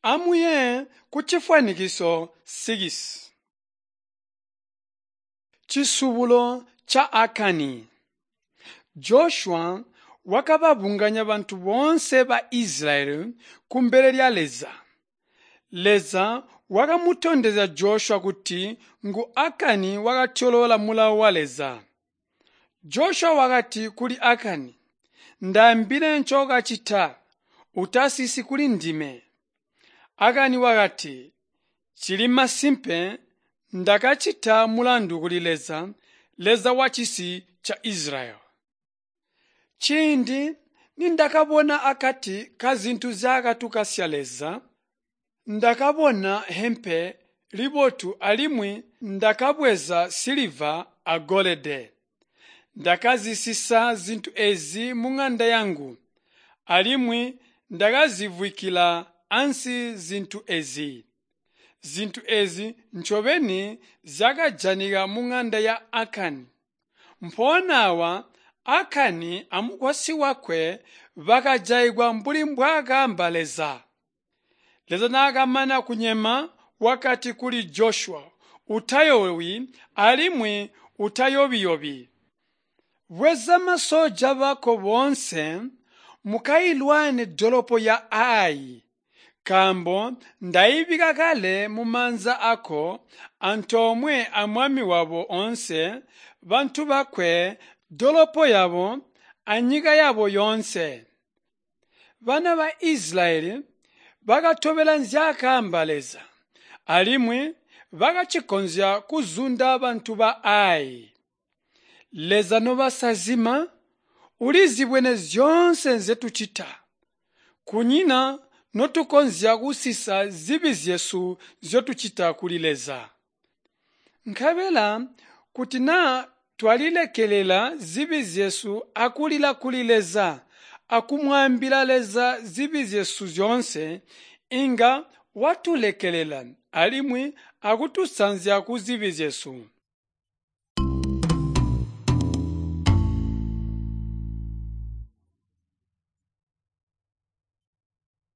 Amuye kucifwanikiso 6. Cisubulo ca Akani. Joshua wakababunganya bantu boonse ba Isilayeli kumbele lya Leza. Leza wakamutondezya Joshua kuti ngu Akani wakatyoloola mulawo wa Leza. Joshua wakati kuli Akani, “Ndaambile ncookacita, utasisi kulindime.” Akani wakati, “Cili masimpe ndakacita mulandu kuli Leza, Leza wacisi ca Isilayeli. Ciindi nindakabona akati kazintu nzyaakatukasya Leza, ndakabona hempe libotu alimwi ndakabweza siliva agolide. Ndakazisisa zintu eezi muŋanda yangu, alimwi ndakazivwikkila ansi zintu eezi. Zintu eezi ncobeni zyakajanika muŋanda ya Akani. Mpoona aawa Akani amukwasyi wakwe bakajaigwa mbuli mbwaakaamba Leza. Leza naakamana kunyema wakati kuli Joshua, “Utayoowi alimwi utayobi-yobi. Bweza masoja bako boonse mukailwane dolopo ya Ai, nkaambo ndaibika kale mumaanza aako antoomwe amwami wabo oonse, bantu bakwe, dolopo yabo, anyika yabo yoonse.” Bana ba Isilayeli bakatobela nzyaakaamba Leza, alimwi bakacikonzya kuzunda bantu ba Ai. Leza nobasazima ulizibwene zyoonse nzyetucita. Kunyina notukonzya kusisa zibi zyesu nzyotucita kuli Leza. Nkabela kuti naa twalilekelela zibi zyesu akulila kuli Leza akumwaambila Leza zibi zyesu zyoonse, inga watulekelela alimwi akutusanzya kuzibi zyesu.